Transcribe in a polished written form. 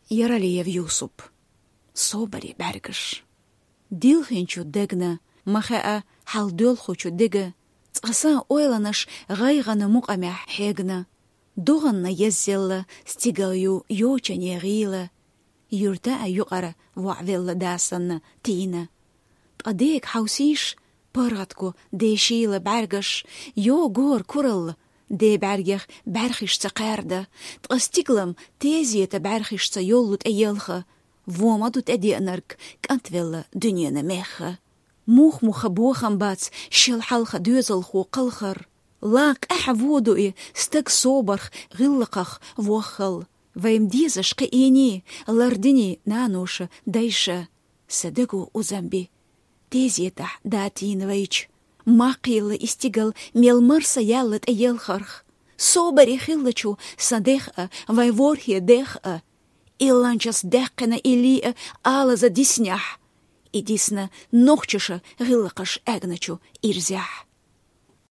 Яралиев Юсуп. Собари бәргіш. Дилхинчу дегна, маха'a халдөлхучу дега, ц'аса ойланыш ғайғаны муқамя хегна, доғанна еззелла, стигалю йочане ғила, юрта юқара вa'велла дасанна тина. Т'адег хаусиш, паргатку дешила бәргіш, йо гор курал, де бәргех бәрхиш цақарда, т'астиглам тезиета бәрхиш ца йоллут әйелха, وامدوت ادي انرك كانت ولا دنيا مخه موخ بوخم باتس شل حلخه دوزل خو قلخر لاك احودو ستك صوبرخ غلقخ وخل ويم ديزش قيني لاردني نانوش دايشه صدقو وزنبي تيزيتح داتين ويش ما قيل استيقل ميل مرسا يالت ايالخرخ صوبري خلچو صديخه ويورهي ديخه Иланчас деккена илия ала за диснях, и дисна нохчуша гылакаш эгначу ирзях.